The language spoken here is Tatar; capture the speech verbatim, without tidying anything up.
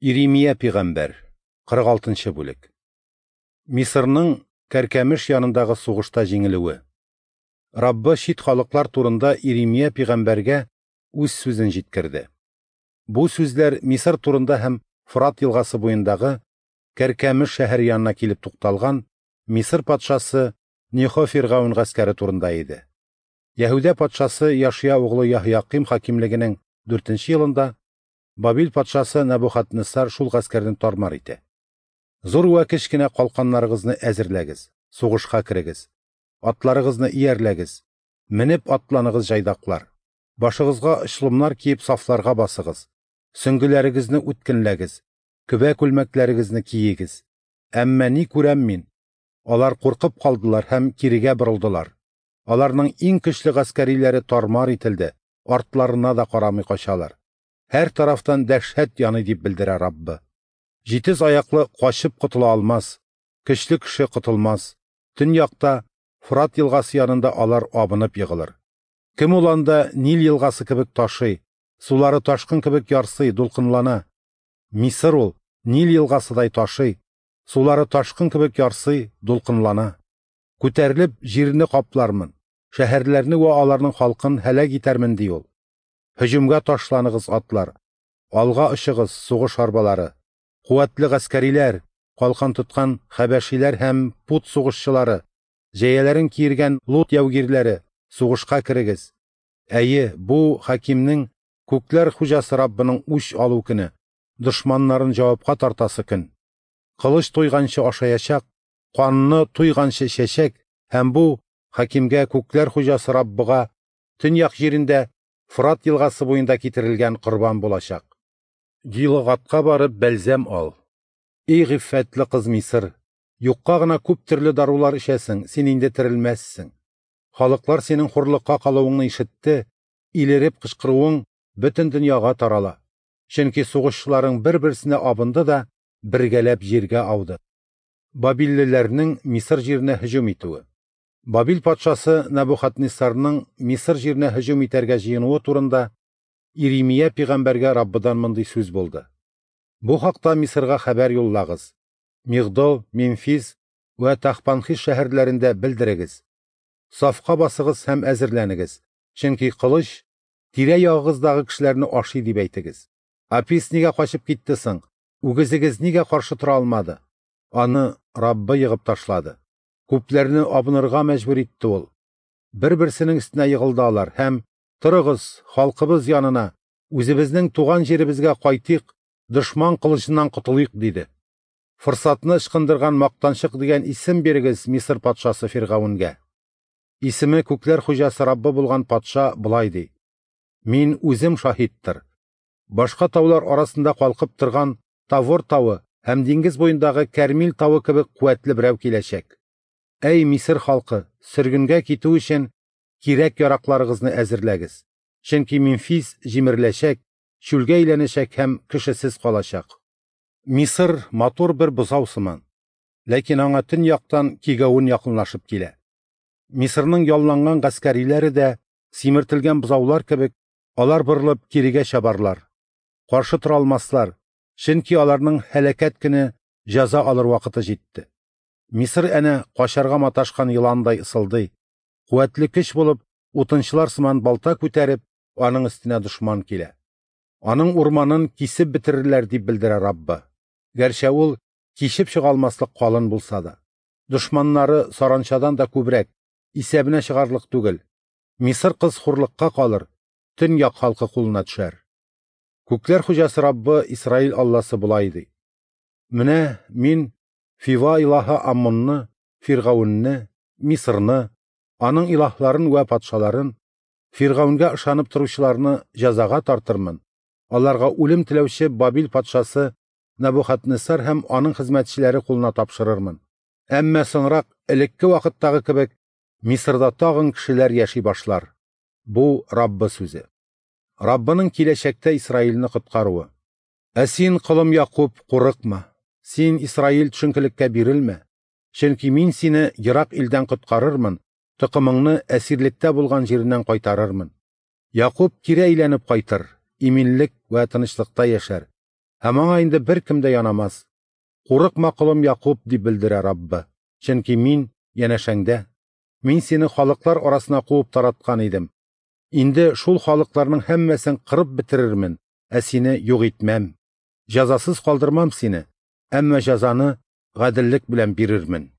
Иремия пигамбәр, кырык алтынчы бүлек. Мисырның Кәркәмеш янындагы сугышта җиңелүе. Раббы чит халыклар турында Иремия пигамбәргә үз сүзен җиткерде. Бу сүзләр Мисыр турында һәм Фрат елгасы буендагы Кәркәмеш шәһәре янына килеп тукталган Мисыр патшасы Нехо фиргавен гаскәре турында иде. Яһүдә патшасы Яшия углы Яһяким хакимлегенең дүртенче елында Бабил патшасы Нәбухаднессар шул гаскәрне тармар итә. Зур вә кечкенә калканнарыгызны әзерләгез, сугышка керегез, атларыгызны иярләгез, менеп атланыгыз җайдаклар, башыгызга очлымнар киеп сафларга басыгыз, сөңгеләрегезне үткенләгез, көбә күлмәкләрегезне киегез. Әмма ни күрәм мин? Алар куркып калдылар һәм кирегә борылдылар. Аларның иң көчле гаскәриләре тармар ителде, артларына да карамый качалар. Һәр тарафтан дәһшәт яный дип белдерә Раббы. Җитез аяклы качып котыла алмас, көчле кеше котылмас. Төньякта Фрат елгасы янында алар абынып егылыр. Кем ул анда Нил елгасы кебек ташый, сулары ташкын кебек ярсый, дулкынлана. Мисыр ул Нил елгасыдай ташый, сулары ташкын кебек ярсый, дулкынлана. Күтәрелеп җирне каплармын, шәһәрләрне вә аларның халкын һәлак итәрмен ди ул. Һөҗүмгә ташланыгыз атлар, алга очыгыз сугыш арбалары, куәтле гаскәриләр, калкан тоткан хәбәшиләр һәм пут сугышчылары, җәяләрен киергән лут яугирләре, сугышка керегез. Әйе, бу хакимнең күкләр хуҗасы Раббының үч алу көне, дошманнарын җавапка тартасы көн. Кылыч туйганчы ашаячак, канны туйганчы эчәчәк һәм бу хакимгә күкләр хуҗасы Раббыга төньяк җирендә Фрат елгасы буенда китерелгән корбан булачак. Гилгатка барып бәлзәм ал. Эй гыйффәтле кыз Мисыр, юкка гына күп төрле дарулар эчәсең, син инде терелмәссең. Халыклар синең хурлыкка калуыңны ишетте, илереп кычкыруың бөтен дөньяга тарала. Чөнки сугышчыларың бер-берсенә абынды да бергәләп җиргә ауды. Бабиллеләрнең Мисыр җиренә һөҗүм итүе. Бабил патшасы Нәбухаднессарның Мисыр җиренә һөҗүм итәргә җыенуы турында Иремия пигамбәргә Раббыдан мондый сүз булды. Бу хакта Мисырга хәбәр юллагыз. Мигдол, Мемфис вә Тахпанхис шәһәрләрендә белдерегез. Сафка басыгыз һәм әзерләнегез, чөнки кылыч тирә-ягыгыздагы кешеләрне ашый дип әйтегез. Апис нигә качып китте соң? Үгезегез нигә каршы тора алмады? Аны Раббы егып ташлады. Күпләрне абынырга мәҗбүр итте ул. Бер-берсенең өстенә егылды алар һәм торыгыз, халкыбыз янына, үзебезнең туган җиребезгә кайтыйк, дошман кылычыннан котылыйк диде. Форсатны ычкындырган мактанчык дигән исем бирегез Мисыр патшасы Фиргавенгә. Исеме күкләр хуҗасы Раббы булган патша болай ди: Мин үзем шаһиттыр. Башка таулар арасында калкып торган Тавор тавы һәм диңгез буендагы Кәрмил тавы кебек куәтле берәү киләчәк. Әй Мисыр халкы, сөргенгә китү өчен кирәк яракларыгызны әзерләгез. Чөнки Мемфис җимереләчәк, чүлгә әйләнәчәк һәм кешесез калачак. Мисыр матур бер бозау сыман, ләкин аңа төньяктан кигәвен якынлашып килә. Мисырның ялланган гаскәриләре дә симертелгән бозаулар кебек, алар борылып кирегә чабарлар. Каршы тора алмаслар, чөнки аларның һәлакәт көне җәза алыр вакыты җитте. Мисыр әнә качарга маташкан еландай ысылдый. Куәтле көч булып, утынчылар сыман балта күтәреп, аның өстенә дошман килә. Аның урманын кисеп бетерерләр дип белдерә Раббы. Гәрчә ул кишеп чыга алмаслык калын булса да. Дошманнары саранчадан да күбрәк, исәбенә чыгарлык түгел. Мисыр кыз хурлыкка калыр, төньяк халкы кулына төшәр. Күкләр хуҗасы Раббы Исраил Алласы болай ди: Менә мин Фива илаһы Аммонны, Фиргавенне, Мисырны, аның илаһларын вә патшаларын, Фиргавенгә ышанып торучыларны җәзага тартырмын. Аларга үлем теләүче Бабил патшасы Нәбухаднессар һәм аның хезмәтчеләре кулына тапшырырмын. Әмма соңрак элекке вакыттагы кебек Мисырда тагын кешеләр яши башлар. Бу Раббы сүзе. Раббының киләчәктә Исраилне коткаруы. Ә син, колым Якуб, курыкма. Син, Исраил, төшенкелеккә бирелмә. Чөнки мин сине ерак илдән коткарырмын, токымыңны әсирлектә булган җиреннән кайтарырмын. Якуб кире әйләнеп кайтыр, иминлек вә тынычлыкта яшәр. Һәм аңа инде беркем дә янамас. Курыкма, колым Якуб, дип белдерә Раббы, чөнки Мин янәшәңдә. Мин сине халыклар арасына куып тараткан идем. Инде шул халыкларның һәммәсен кырып бетерермен, ә сине юк итмәм. Җәзасыз калдырмам сине, әмма җәзаны гаделлек белән бирермен.